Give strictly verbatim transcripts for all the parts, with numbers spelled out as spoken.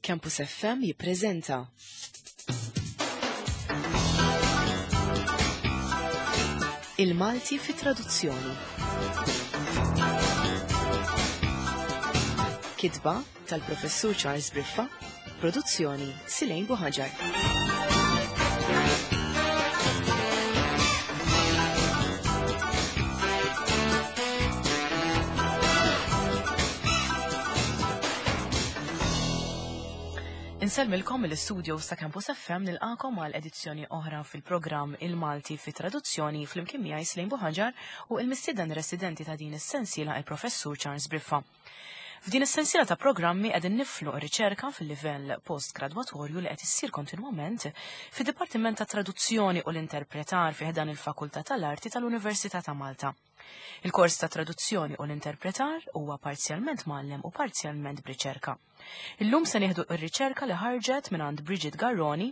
Campus F M jippreżenta Il-Malti fi traduzzjoni. Kitba tal-Professur Charles Briffa, produzzjoni Silejn Buħaġar. Insellmilkom mill-istudio ta' Campus F M nilqakom għal edizzjoni oħra fil-programm Il-Malti fi traduzzjoni flimkien miegħi Silejn Buħaġar u l-mistieden residenti ta' din is-sensiela il-Professur Charles Briffa. F'din is-sensiela ta' programmi qegħdin niflu riċerka fil-livell postgradwatorju li qed issir kontinwament fid-Dipartiment ta' Traduzzjoni u l-Interpretar fi ħdan il-Fakultà tal-Arti tal-Università ta' Malta. Il-kors ta' traduzzjoni u l-interpretar huwa parzjalment mgħallem u parzjalment b'riċerka. Illum se nieħdu r-riċerka li ħarġet mingħand Bridget Garroni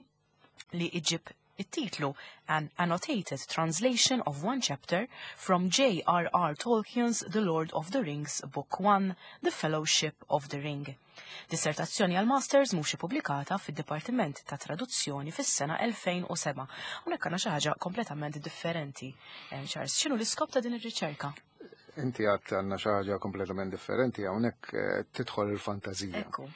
li iġib it-titlu An Annotated Translation of One Chapter from J R R Tolkien's The Lord of the Rings Book one, The Fellowship of the Ring. Dissertazzjoni għal Masters mhux ippubblikata fid-Dipartiment ta' Traduzzjoni fis-sena elfejn u seba'. Hawnhekk għandna xi ħaġa kompletament differenti. Eh, Charles, x'inhu l-iskop ta' din ir-riċerka? Inti għadt għandna xi ħaġa kompletament differenti, hawnhekk, eh, tidħol il-fantażija. Ekku.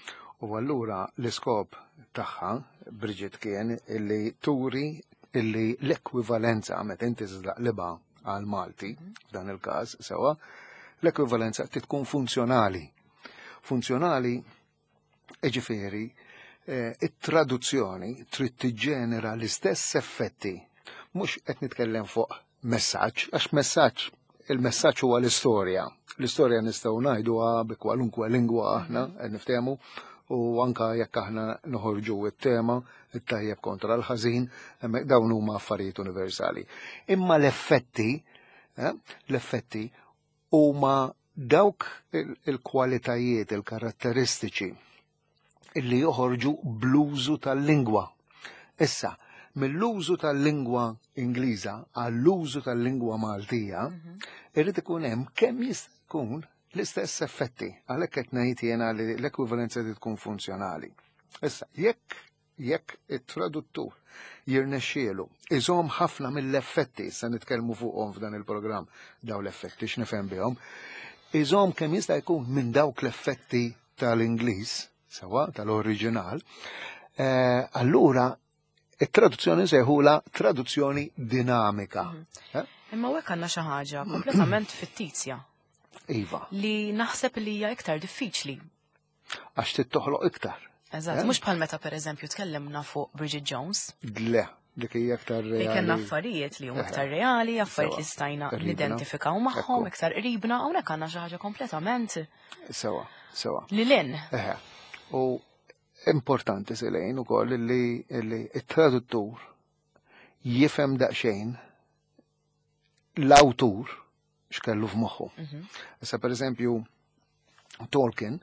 U allura l-iskop tagħha, Bridget, kien illi turi illi l-ekwivalenza meta inti tiżlaqlibha għal Malti, f'dan il-każ, sewa, l-ekwivalenza tkun funzjonali. Funzjonali, ġifieri, eh, it-traduzzjoni trid tiġġenera l-istess effetti. Mhux qed nitkellem fuq messaġġ, għax messaġġ, il-messaġġ huwa l-istorja. L-istorja nistgħu ngħiduha bi kwalunkwe lingwa aħna qed niftehmu, u anka jekk aħna noħorġu it-tema, it-tajjeb kontra l-ħażin, hemmhekk dawn huma affarijiet universali. Imma l-effetti, eh, l-effetti huma dawk il-, il-kwalitajiet, il-karatteristiċi illi joħorġu bl-użu tal-lingwa. Issa, mill-użu tal-lingwa Ingliża għall-użu tal-lingwa Maltija, Mhm. irrid ikun hemm kemm jista' jkun l-istess effetti. Għalhekk qed ngħid jiena li l-ekwivalenza trid tkun funzjonali. Issa, jekk, jekk it-traduttur jirnexxielu iżomm ħafna mill-effetti, issa nitkellmu fuqhom f'dan il-programm, daw l-effetti x'nifhem bihom, iżomm kemm jista' jkun minn dawk l-effetti tal-Ingliż, sewa tal-oriġinal, eh, allura it-traduzzjoni nsejħula traduzzjoni dinamika. Mhm. Eh? Imma hekk għandna xi ħaġa kompletament fittizja. Iva. Li naħseb li hija iktar diffiċli. Għax trid toħloq iktar. Eżatt, Eh? mhux bħal meta pereżempju tkellimna fuq Bridget Jones. Le, dik hija aktar Li kellna reali. affarijiet li huma Eh. iktar reali, affarijiet Sewa. li stajna Qribna. nidentifikaw magħhom, Ekku. iktar qribna, hawnhekk għandna xi ħaġa kompletament Sewa, sewa. Li lin. Eħe. U importanti Silejn ukoll li, li t-traduttur jifhem daqsxejn l-awtur x'kellu f'moħħu. Mhm. Issa pereżempju Tolkien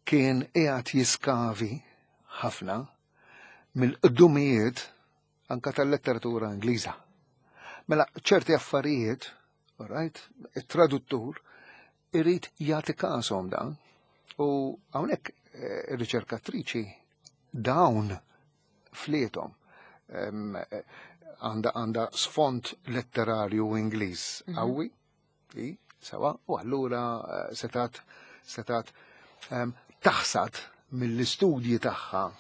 kien qiegħed jiskavi ħafna mill-qdumijiet anka tal-letteratura Ingliża. Mela ċerti affarijiet, all right, it-traduttur irid jagħti każhom dan. U hawnhekk, eh, ir-riċerkatriċi dawn fliethom. Em, eh, għanda, għanda sfond letterarju Ingliż Mhm. qawwi, i, sewa, u allura, eh, setat, setat, em, taħsad mill-istudji tagħha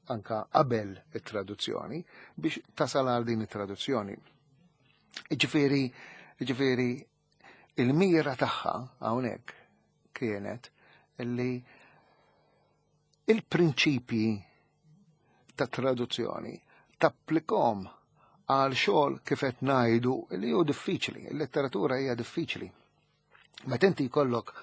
anka qabel it-traduzzjoni biex tasal għal din it-traduzzjoni. Ġifieri, ġifieri il-mira tagħha hawnhekk kienet li il-prinċipji ta' traduzzjoni tapplikom għal xogħol kif qed ngħidu li hu diffiċli, il-letteratura hija diffiċli. Meta inti jkollok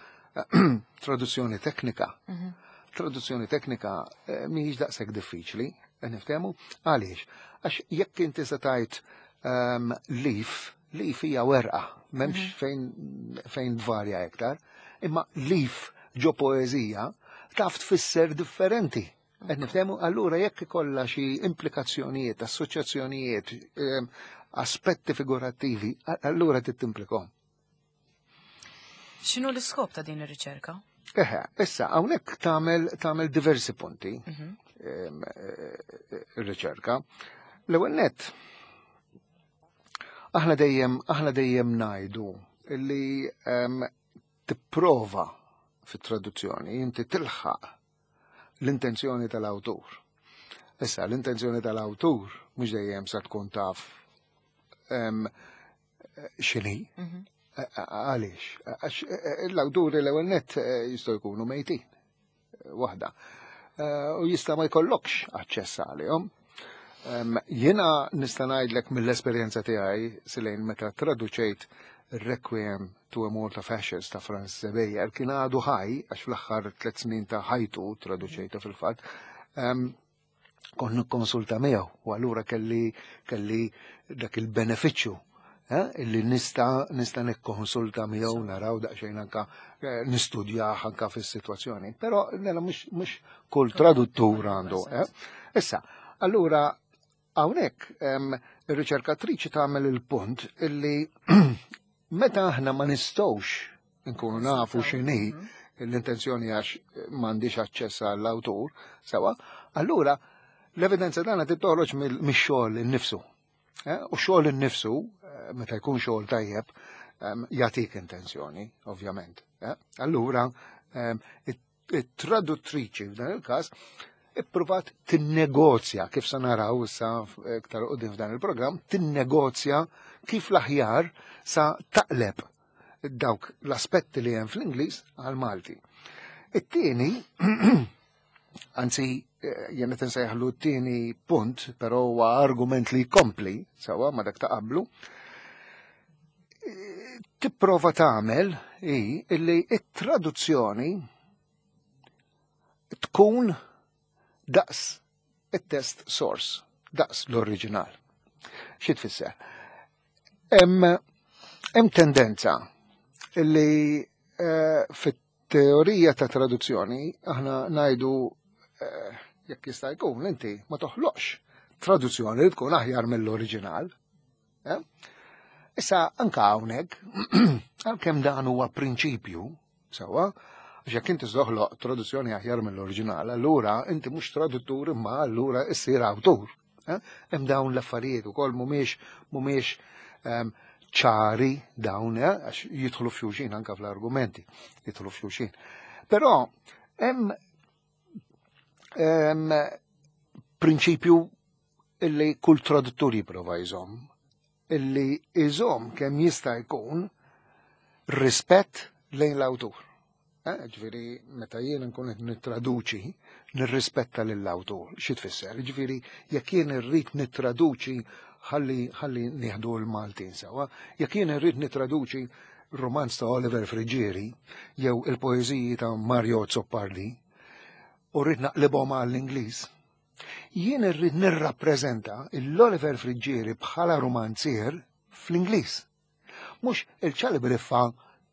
traduzzjoni teknika, Mhm. traduzzjoni teknika, eh, mhijiex daqshekk diffiċli, qed niftehmu, għaliex? Għax jekk inti se tgħid, ehm, leaf, leaf hija werqa, m'hemmx Mhm. fejn, fejn tvarja iktar, imma leaf ġo poeżija taf tfisser differenti. Qed niftehmu, allura jekk ikollha xi implikazzjonijiet, assoċjazzjonijiet, ehm, aspetti figurattivi, a-, allura trid timplikhom. X'inhu l-iskop ta' din ir-riċerka? Eħe, issa, hawnhekk tagħmel tagħmel diversi punti Mhm. em, eh, ir-riċerka. L-ewwel nett, aħna dejjem aħna dejjem ngħidu illi em, tipprova fit-traduzzjoni inti tilħaq l-intenzjoni tal-awtur. Issa, l-intenzjoni tal-awtur mhux dejjem sa tkun taf em, x'inhi. Mhm. Għaliex? Għax eh, l-awturi l-ewwel nett eh, jistgħu jkunu mejtin. eh, Waħda. Eh, U jista' ma jkollokx aċċess għalihom. Em, Jiena nista' ngħidlek mill-esperjenza tiegħi silejn meta traduċejt Requiem to a Malt of Ashes ta' Francis Ebejer kien għadu ħaj, għax fl-aħħar tliet snin ta' ħajtu traduċejtu fil-fatt, em, kont nikkonsulta miegħu u allura kelli kelli dak il-benefiċċju eh, illi nista nista nikkonsulta miegħu naraw daqsxejn anka eh, nistudjah anka fis-sitwazzjoni. Però nella mhux mhux kull traduttur għandu. Eh. Issa, allura hawnhekk em, ir-riċerkatriċi tagħmel il-punt illi meta aħna ma nistgħux nkunu nafu x'inhi l-intenzjoni għax m'għandix aċċess għall-awtur, sewa, allura l-evidenza tagħna tittoħroġ mix-xogħol innifsu. Eh, U xogħol innifsu, eh, meta jkun xogħol tajjeb, em, jagħtik intenzjoni, ovvjament. eh. Allura, em, it-traduttriċi f'dan il-każ ippruvat tinnegozja, kif sa naraw issa iktar quddiem f'dan il-programm, tinnegozja kif l-aħjar sa taqleb dawk l-aspetti li hemm fl-Ingliż għal-Malti. It-tieni, anzi, eh, jien qed insejjaħlu t-tieni punt, però huwa argument li jkompli, sewa ma dak ta' qablu, eh, tipprova tagħmel hi illi it-traduzzjoni tkun daqs it-text source, daqs l-oriġinal. Xi tfisser? Hemm hemm tendenza illi eh, fit-teorija ta' traduzzjoni aħna ngħidu eh, jekk jista' jkun inti ma toħloqx traduzzjoni li tkun aħjar mill-oriġinal. Eh? Issa anka hawnhekk għalkemm dan huwa prinċipju sewwa, għax jekk inti toħloq traduzzjoni aħjar mill-oriġinal, allura inti mhux traduttur imma allura issir awtur. Eh? Hemm dawn l-affarijiet ukoll mhumiex mhumiex ehm, ċari dawn, eh, għax jidħlu f'xulxin anka fl-argumenti, jidħlu f'xulxin. Però hemm hemm prinċipju illi kull traduttur jipprova jżomm, illi jżomm kemm jista' jkun rispett lejn l-awtur. Eh, Ġifieri, meta jien nkun qed nittraduċi, nirrispetta lill-awtur. Xi tfisser? Ġifieri, jekk jien irrid nittraduċi ħalli ħalli nieħdu l-Maltin sewa, jekk jien irrid nittraduċi romanz ta' Oliver Friggieri jew il-poeżiji ta' Mario Azzopardi u rrid naqlibhom għall-Ingliż, jien irrid nirrappreżenta l-Oliver Friggieri bħala romanzier fl-Ingliż. Mhux il-Charlie Briffa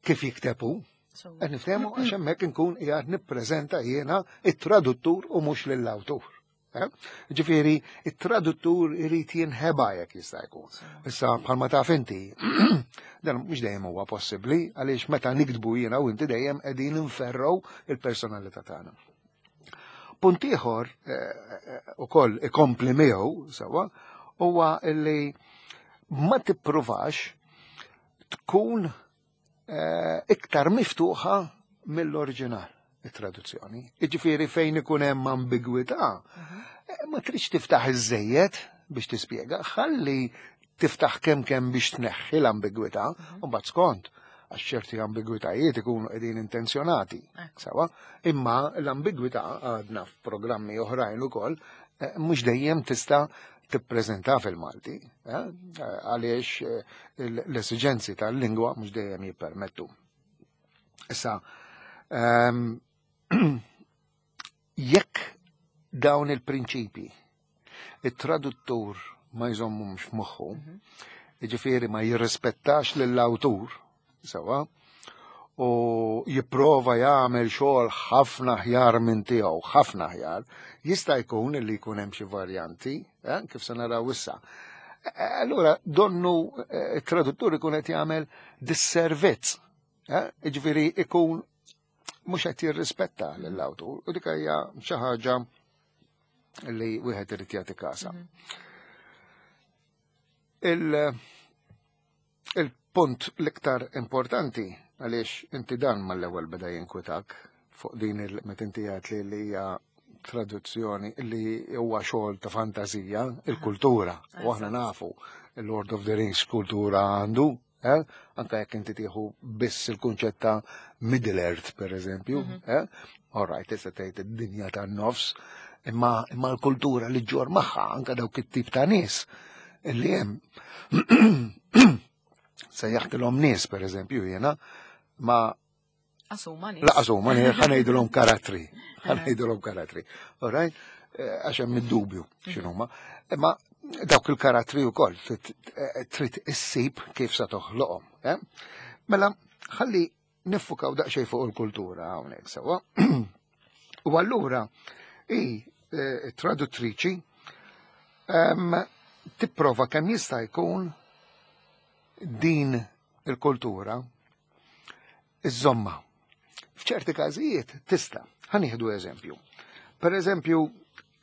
kif jikteb hu. Qed niftehmu għax hemmhekk inkun qiegħed nippreżenta jiena it-traduttur u mhux lill-awtur. Eh? Ġifieri, it-traduttur irid jinħeba jekk jista' jkun. Issa bħalma taf inti, dan mhux dejjem huwa possibbli għaliex meta niktbu jiena u inti dejjem qegħdin inferru il-personalità tagħna. Punt ieħor eh, ukoll ikompli miegħu sewwa huwa illi ma tippruvax tkun eh, iktar miftuħa mill-oriġinal it-traduzzjoni. Iġifieri fejn ikun hemm ambigwità, eh, ma tridx tiftaħ iż-żejjed biex tispjega, ħalli tiftaħ kemm kemm biex tneħħi l-ambigwità, u mbagħad skont għax ċerti ambigwitajiet ikunu qegħdin intenzjonati. Sewa, imma l-ambigwità għadna f'programmi oħrajn ukoll eh, mhux dejjem tista' tippreżenta fil-Malti, eh, għaliex eh, l-esiġenzi tal-lingwa mhux dejjem jippermettu. Issa, ehm, jekk dawn il-prinċipi it-traduttur ma jżommhomx f'moħħu, jiġifieri ma jirrispettax lill-awtur, sewa, u jipprova jagħmel xogħol ħafna aħjar minn tiegħu, ħafna aħjar, jista' jkun li jkun hemm xi varjanti, eh, kif se naraw issa. Eh, Allura donnu eh, it-traduttur ikun qed jagħmel disservizz, eh, jiġifieri ikun mhux qed jirrispetta lill-awtur u dik hija xi ħaġa li wieħed irid jagħti kasa. Il- Il-punt l-iktar importanti għaliex inti dan mal-ewwel beda jinkwitak fuq din il meta inti għedt li li hija traduzzjoni li huwa xogħol ta' fantażija, il-kultura. U aħna nafu il-Lord of the Rings kultura għandu, eh? Anka jekk inti tieħu biss il-kunċett ta' Middle Earth, per eżempju, eh? All right, tista' tgħid id-dinja tan-nofs, imma imma l-kultura li ġġorr magħha anka dawk it-tip ta' nies illi hemm sejjaħtilhom nies, per eżempju, jiena, ma Asuma nies. Laqas huma nies, ħa ngħidulhom karattri, ħa ngħidulhom karattri. All right? Eh, Għax hemm id-dubju x'inhuma. Imma dawk il-karattri wkoll trid eh, trid issib kif sa toħloqhom. eh? Mela, ħalli niffukaw daqsxejn fuq il-kultura hawnhekk sewwa. U allura i eh, traduttriċi em, tipprova kemm jista' jkun din il-kultura iżżommha. F'ċerti każijiet tista'. Ħa nieħdu eżempju. Per eżempju,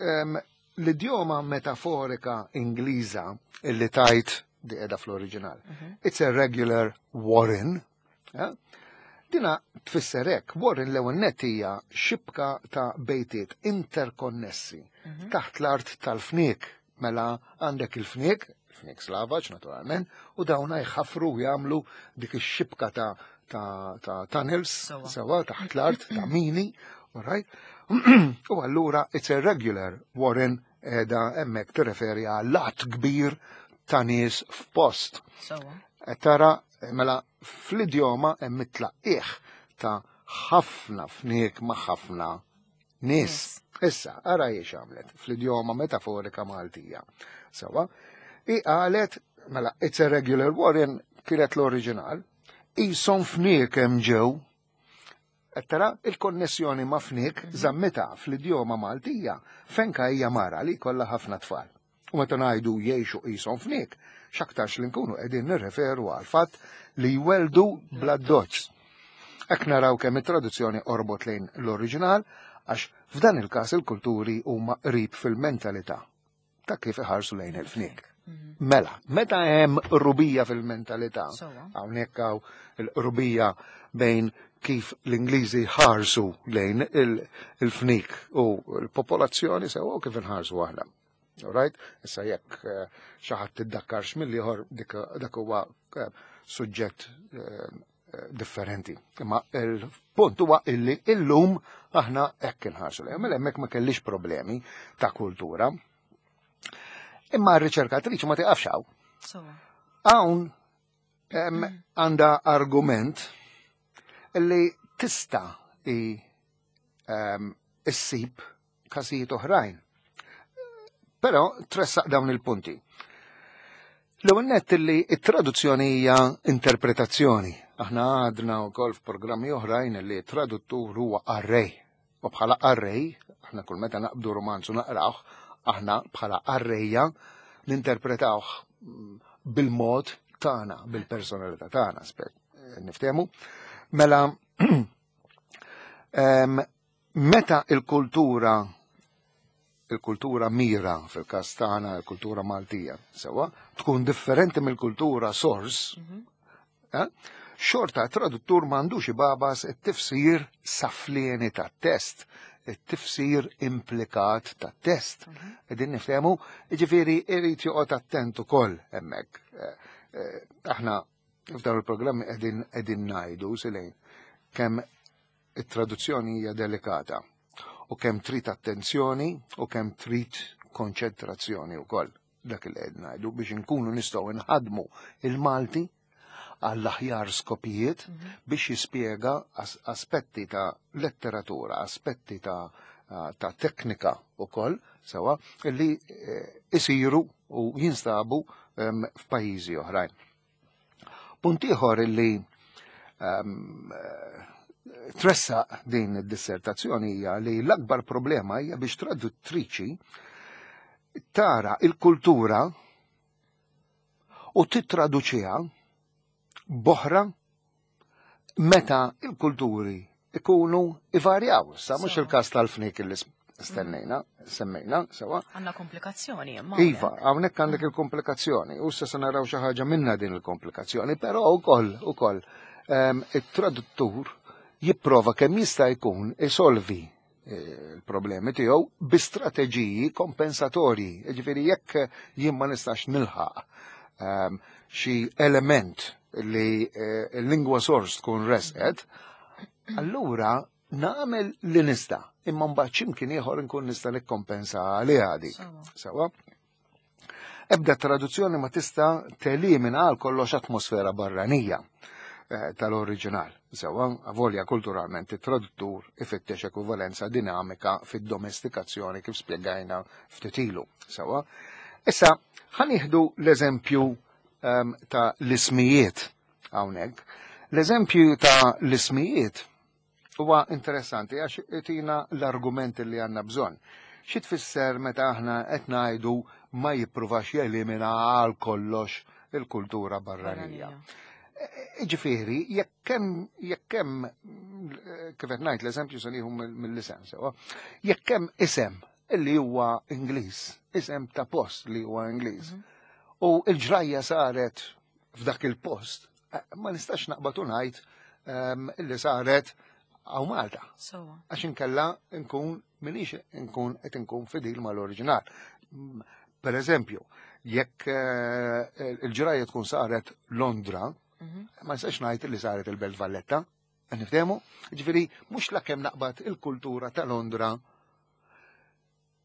em, l-idjoma metaforika Ingliża illi tajt di qiegħda fl-oriġinal. It's a regular warren. eh? Dina tfisser hekk, warren l-ewwel nett hija xibka ta' bejtiet interkonnessi taħt l-art tal-fniek. Mela għandek il-fniek, fniek slavaġ naturalment, u dawna jħafru u jagħmlu dik ix-xibka ta' ta' ta' tunnels, Sewwa. sewwa taħt l-art, ta' mini, all right? U allura it's a regular warren qiegħda hemmhekk tirreferi għal għadd kbir ta' nies f'post. Sewwa. Qed tara mela fl-idjoma hemm it-tlaqqieħ ta' ħafna fniek ma' ħafna nies. Issa, ara jiex għamlet fl-idjoma metaforika Maltija. Sewwa, i qalet, mela, it's a regular warren kienet l-oriġinal, qishom fniek hemm ġew. Qed tara il-konnessjoni ma' fniek żammitha fl-idjoma Maltija fenka hija mara li kollha ħafna tfal. U meta ngħidu jgħixu qishom fniek, x'aktarx li nkunu qegħdin nirreferu għal fatt li jweldu bla doċ. Hekk naraw kemm it-traduzzjoni orbot lejn l-oriġinal għax f'dan il-każ il-kulturi huma qrib fil-mentalità ta' kif iħarsu lejn il-fniek. Mela, meta hemm qrubija fil-mentalità, Sewwa. hawnhekk hawn il-qrubija bejn kif l-Ingliżi ħarsu lejn il- il-fniek u l-popolazzjoni sewwa u kif inħarsu aħna. All right? Issa jekk eh, xi ħadd tiddakkarx mill-ieħor dik dak huwa eh, suġġett eh, eh, differenti. Imma il-punt huwa illi illum aħna hekk inħarsu lejn. Mela hemmhekk ma kellix problemi ta' kultura. Imma r-riċerkatriċi ma tiqafx hawn. Sewwa. Hawn em, għandha argument illi tista' i em, issib każijiet oħrajn. Però tressaq dawn il-punti. L-ewwel nett li t-traduzzjoni hija interpretazzjoni. Aħna għadna wkoll f'programmi oħrajn li traduttur huwa qarrej. U bħala qarrej, aħna kull meta naqbdu romanzu naqrawh, aħna bħala qarrejja ninterpretawh mm, bil-mod tagħna, bil-personalità tagħna, spet niftehmu. Mela em, meta il-kultura il-kultura mira fil-każ tagħna il-kultura Maltija, sewwa, tkun differenti mill-kultura source, eh? Xorta traduttur m'għandux ibabas it-tifsir saflieni tat-test, it-tifsir implikat tat-test. Qegħdin niftehmu, jiġifieri irid joqgħod attent ukoll hemmhekk. Eh, eh, Aħna f'dawn il-programmi qegħdin qegħdin ngħidu silejn kemm it-traduzzjoni hija delikata u kemm trid attenzjoni u kemm trid konċentrazzjoni wkoll dak li qed ngħidu biex inkunu nistgħu nħadmu il-Malti għall-aħjar skopijiet biex jispjega as aspetti ta' letteratura, aspetti ta' ta' teknika wkoll sewwa illi eh, isiru u jinstabu em, f'pajjiżi oħrajn. Punt ieħor illi em, eh, tressaq din id-dissertazzjoni hija li l-akbar problema hija biex traduttriċi tara il-kultura u titraduċiha b'oħra meta il-kulturi ikunu ivarjaw. Sa mhux il-każ tal-fnik li stennejna, semmejna, sewa. Għandna komplikazzjoni. Iva, hawnhekk għandek il-komplikazzjoni. U issa se naraw xi ħaġa minna din il-komplikazzjoni, però wkoll ukoll it-traduttur jipprova kemm jista' jkun isolvi il-problemi tiegħu bi strateġiji kompensatorji. Jiġifieri jekk jien ma nistax nilħaq xi element li l-lingwa sors tkun resqet, allura nagħmel li nista', imma mbagħad x'imkien ieħor nkun nista' nikkompensa għaliha dik. Sewa. Ebda traduzzjoni ma tista' telimina għal kollox atmosfera barranija tal-oriġinal. Sewa, avolja kulturalment it-traduttur ifittex ekwivalenza dinamika fid-domestikazzjoni kif spjegajna ftit ilu. Sewa. Issa, ħa nieħdu l-eżempju ta' l-ismijiet hawnhekk. L-eżempju ta' l-ismijiet huwa interessanti għax tina l-argumenti li għandna bżonn. Xi tfisser meta aħna qed ngħidu ma jippruvax jelimina għal kollox il-kultura barranija. Ġifieri, jekk hemm jekk hemm kif qed ngħid l-eżempju se nieħu mill-isem sewa, jekk hemm isem illi huwa Ingliż, isem ta' post li huwa Ingliż, u l-ġrajja saret f'dak il-post, ma nistax naqbad u ngħid illi saret għaw Malta. Għax inkella nkun minix nkun qed nkun fidil mal-oriġinal. Per eżempju, jekk il-ġrajja tkun saret Londra, ma nistax ngħid li saret il-Belt Valletta, niftehmu? Ġifieri mhux lakemm naqbad il-kultura ta' Londra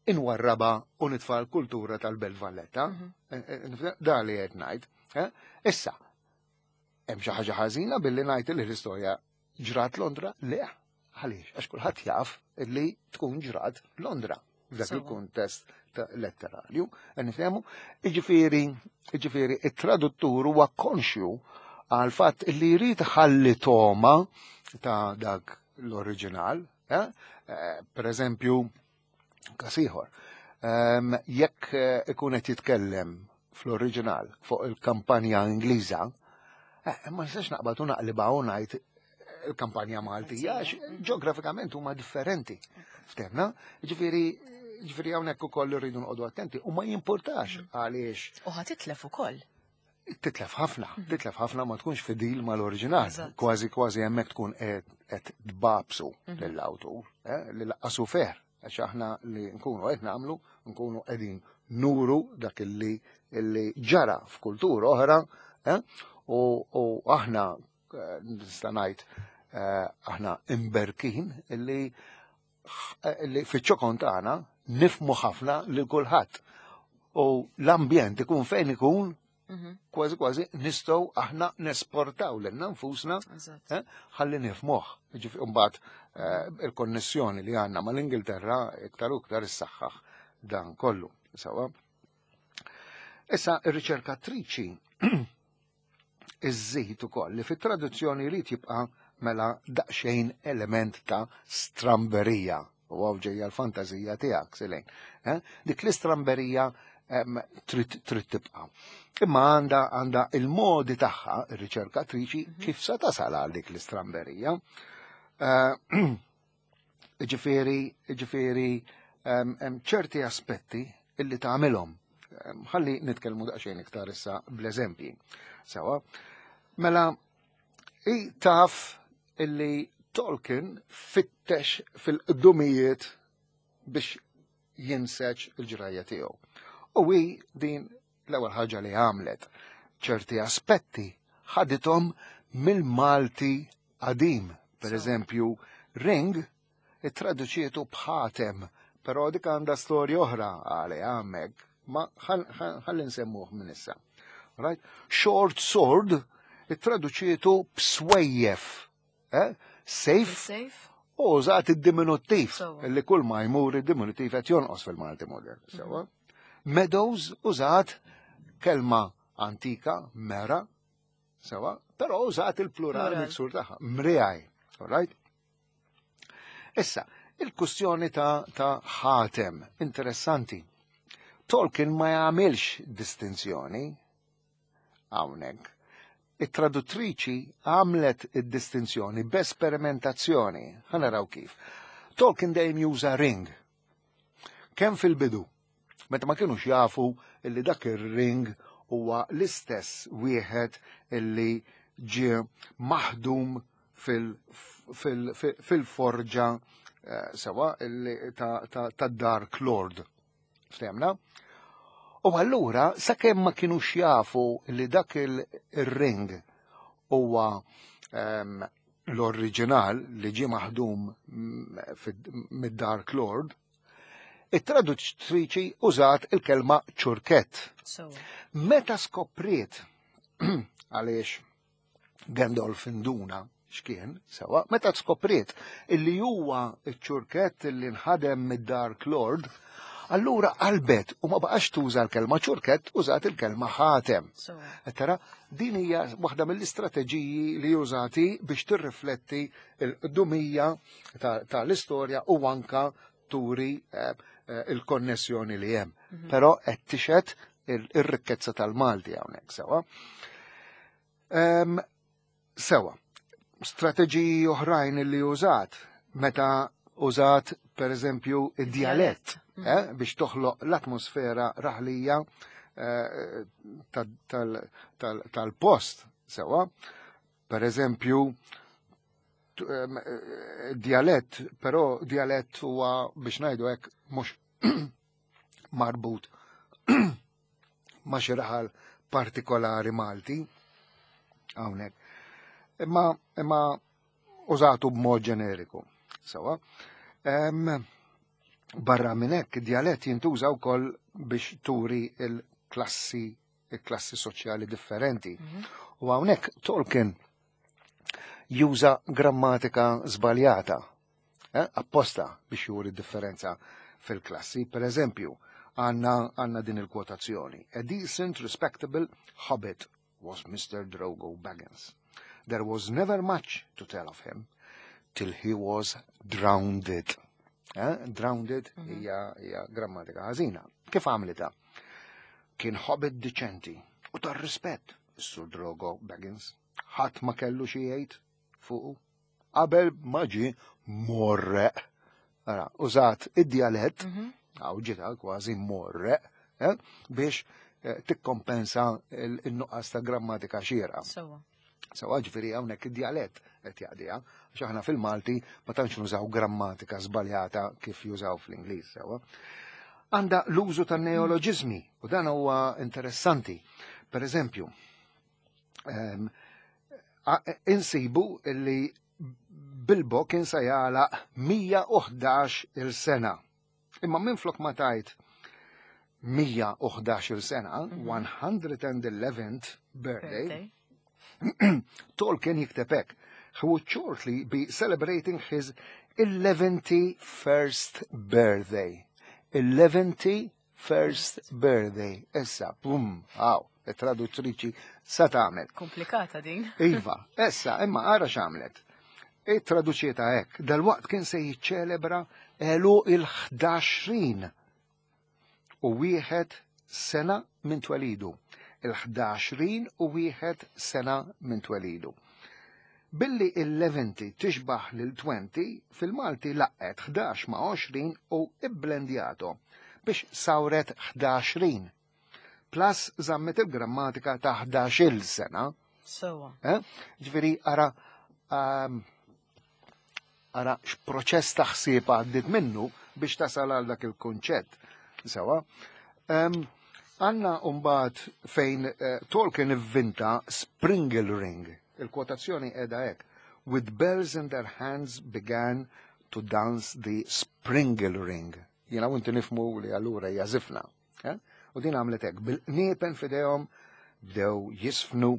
inwarraba u nitfa' l-kultura tal-Belt Valletta. Da li qed ngħid. Issa, hemm xi ħaġa ħażina billi ngħid li l-istorja ġrat Londra? Le, għaliex, għax kulħadd jaf li tkun ġrat Londra f'dak il-kuntest letterarju. Nifhemu? Jiġifieri, jiġifieri it-traduttur huwa konxju għal fatt li jrid ħalli toma ta' dak l-oriġinal. Per eżempju, każ ieħor, jekk ikun qed jitkellem fl-oriġinal fuq il-kampanja Ingliża, ma nistax naqbad u naqlibha u ngħid il-kampanja Maltija, għax ġeografikament huma differenti. Ftemna? Ġifieri, ġifieri hawnhekk ukoll irridu noqogħdu attenti u ma jimpurtax għaliex. U ħa titlef ukoll. Titlef ħafna, titlef ħafna ma tkunx fidil mal-oriġinal. Kważi kważi hemmhekk tkun qed tbabsu lill-awtur, li laqqasu fer, għax aħna li nkunu qed nagħmlu, nkunu qegħdin nuru dak illi ġara f'kultura oħra, u aħna nista' ngħid aħna imberkin illi fiċ-ċokon tagħna nifmu ħafna lil kulħadd. U l-ambjent ikun fejn ikun, kważi kważi nistgħu aħna nesportaw lilna nfusna ħalli nifmuh. Ġifieri mbagħad il-konnessjoni li għandna mal-Ingilterra iktar u iktar issaħħaħ dan kollu. Sewa. Issa ir-riċerkatriċi iżżid ukoll li fit-traduzzjoni jrid jibqa' mela daqsxejn element ta' stramberija. U għaw ġejja l-fantażija tiegħek, Silejn. Dik l-istramberija trid tibqa'. Imma għandha għandha il-modi tagħha ir-riċerkatriċi kif se tasal għal dik l-istramberija. Ġifieri, ġifieri hemm ċerti aspetti illi tagħmilhom. Ħalli nitkellmu daqsxejn iktar issa bl-eżempji. Sewa. Mela, i taf illi Tolkien fittex fil-qdumijiet biex jinseġ il-ġrajja tiegħu. U hi din l-ewwel ħaġa li għamlet ċerti aspetti ħadithom mill-Malti qadim. Per eżempju, ring ittraduċietu b'ħatem, però dik għandha storja oħra għalih hemmhekk, ma ħalli nsemmuh minn issa. Right? Short sword ittraduċietu b'swejjef. Eh? Safe u użat id-diminuttiv, li kull ma jmur id-diminuttiv qed jonqos fil-Malti modern. Sewa. Meadows użat kelma antika, mera, sewa, però użat il-plural miksur tagħha, mriegħi. All right? Issa, il-kustjoni ta' ta' ħatem, interessanti. Tolkien ma jagħmilx distinzjoni hawnhekk, it-traduttriċi għamlet id-distinzjoni b'esperimentazzjoni. Ħa naraw kif. Tolkien dejjem juża ring. Kemm fil-bidu, meta ma kienux jafu illi dak ir-ring huwa l-istess wieħed illi ġie maħdum fil-forġa eh, sewa ta' Dark Lord. Ftehmna? U allura, sakemm ma kienux jafu li dak il-ring huwa ehm, l-oriġinal li ġie maħdum mid-Dark Lord, it-traduttriċi użat il-kelma ċurkett. Meta skopriet, għaliex Gandalf induna x'kien, sewa, meta skopriet illi huwa ċ-ċurkett illi nħadem mid-Dark Lord, allura qalbet u ma baqax tuża l-kelma ċurkett, użat il-kelma ħatem. Tara, din hija waħda mill-istrateġiji li użati biex tirrifletti l-qdumija tal-istorja u anka turi eh, eh, il-konnessjoni li hemm. Mhm. Però qed tixhed ir-rikkezza tal-Malti hawnhekk sewa. Sewa, strateġiji oħrajn li użat meta użat per eżempju id-djalett mm. eh, biex toħloq l-atmosfera raħlija eh, tal-post sewa. Per eżempju, eh, djalett, però djalett huwa biex ngħidu hekk mhux marbut ma' xi raħal partikolari Malti hawnhekk. Imma imma użatu b'mod ġeneriku. Sewa. Barra minn hekk djalett jintuża wkoll biex turi il-klassi il-klassi soċjali differenti. Mhm. U hawnhekk Tolkien juża grammatika żbaljata, eh, apposta biex juri differenza fil-klassi. Per eżempju, għanna għanna din il-kwotazzjoni. "A decent, respectable hobbit was Mister Drogo Baggins. There was never much to tell of him till he was drowned." Eh? Drowned mhm. hija hija grammatika ħażina. Kif għamlita? Kien hobbit diċenti u tar-rispett, is-Sur Drogo Baggins. Ħadd ma kellu xi jgħid fuqu qabel ma ġie mgħorreq. Ara, użat id-djalett, mhm. għaw ġita kważi mgħorreq, eh, biex eh, tikkompensa il-nuqqas ta' grammatika xierqa. Sewa, ġifieri hawnhekk id-djalett qed jaqdiha, għax aħna fil-Malti ma tantx nużaw grammatika żbaljata kif jużaw fl-Ingliż, sewa. Għanda l-użu ta' neoloġizmi u dan huwa interessanti. Per eżempju, um, insibu li Bilbo kien se jagħlaq mija u ħdax il-sena. Imma minn flok ma tajt mija u ħdax il-sena, one hundred and eleventh birthday, Tolkien jikteb hekk: "He would shortly be celebrating his eleventy-first birthday." eleventy-first birthday. Issa, pum, għaw, it-traduttriċi sa tagħmel. Komplikata din. Iva, issa, imma ara x'għamlet. Ittraduċietha hekk, dal-waqt kien se jiċċelebra għeluq il-ħdaxrin u wieħed sena minn twelidu. Il-ħdaxrin u wieħed sena minn twelidu. Billi il-eleventy tixbaħ lil twenty, fil-Malti laqgħet ħdax ma' għoxrin u ibblendjato biex sawret ħdaxrin. Plus żammet il-grammatika ta' ħdax-il sena. Sewa. Eh? Ġifieri, ara, um, ara x'proċess ta' ħsieb għaddit minnu biex tasal għal dak il-kunċett. Sewa. Um, Għanna mbagħad fejn uh, Tolkien ivvinta Springle Ring. Il-kwotazzjoni qiegħda hekk: "With bells in their hands began to dance the Springle Ring." Jiena u inti nifhmu li allura hija żifna. Eh? U din għamlet hekk bil-qniepen f'idejhom bdew jiżfnu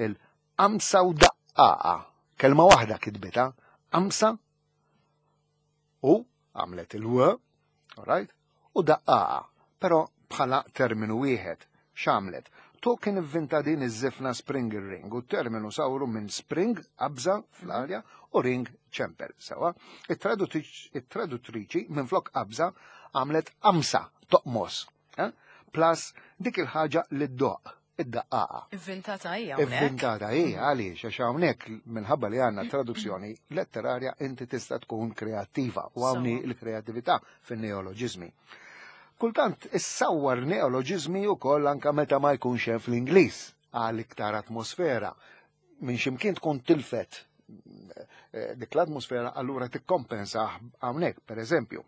il-qamsa u daqqaqa. Kelma waħda kitbita, qamsa u għamlet il-w, alright, u daqqaqa, però bħala terminu wieħed. X'għamlet? Tolkien ivvinta din iż-żifna Springle Ring u terminu sawru minn spring, qabża fl-arja, u ring, ċempel. Sewa, it-traduttriċi minn flok qabża għamlet qamsa, toqmos. Eh? Plus dik il-ħaġa li ddoqq. id-daqqaqa. Ivvintata hija hawnhekk. Ivvintata hija għaliex għax hawnhekk minħabba li għandna traduzzjoni letterarja inti tista' tkun kreattiva u hawnhi l-kreattività fin-neoloġiżmi. Kultant issawwar neoloġiżmi wkoll anke meta ma jkunx hemm fl-Ingliż għal iktar atmosfera. Minn x'imkien tkun tilfet eh, dik l-atmosfera allura tikkompensa hawnhekk, pereżempju.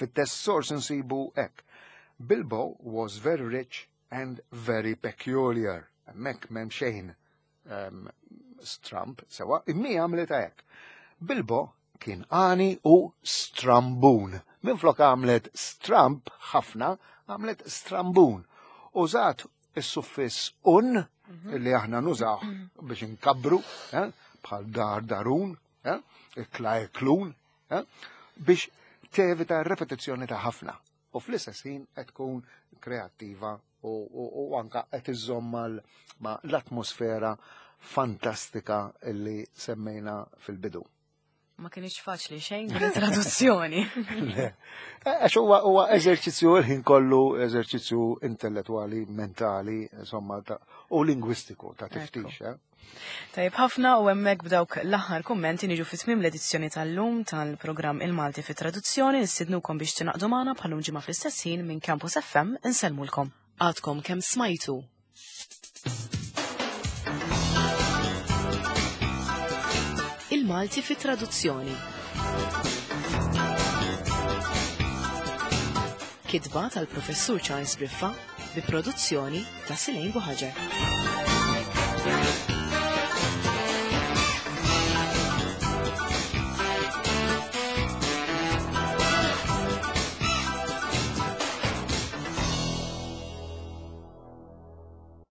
Fit-test source nsibu hekk. Bilbo was very rich and very peculiar. Hemmhekk m'hemm xejn um, stramp, sewa, imma għamlet hekk. Bilbo kien għani u strambun. Minflok għamlet stramp ħafna, għamlet strambun. Użat is-suffiss un, illi aħna nużaw biex nkabbru, eh, bħal dar darun, eh, ikla iklun, eh, biex tevita repetizzjoni ta' ħafna. U fl-istess ħin qed tkun kreattiva u, u, u anka qed iżomm mal- ma' l-atmosfera fantastika illi semmejna fil-bidu. Ma kienx faċli xejn din it-traduzzjoni. Le. Għax huwa huwa eżerċizzju il-ħin kollu eżerċizzju intellettwali, mentali, insomma, ta' u lingwistiku ta' tiftix. Eh? Tajib ħafna u hemmhekk b'dawk l-aħħar kummenti niġu fi tmiem l-edizzjoni tal-lum tal-programm Il-Malti fi Traduzzjoni nistidnukom biex tingħaqdu magħna bħalum ġimgħa fl-istess ħin minn Campus F M insellmulkom. Għadkom kemm smajtu. Il-Malti fi Traduzzjoni. Kitba tal-Professur Charles Briffa bi produzzjoni ta' Silejn Buħaġar.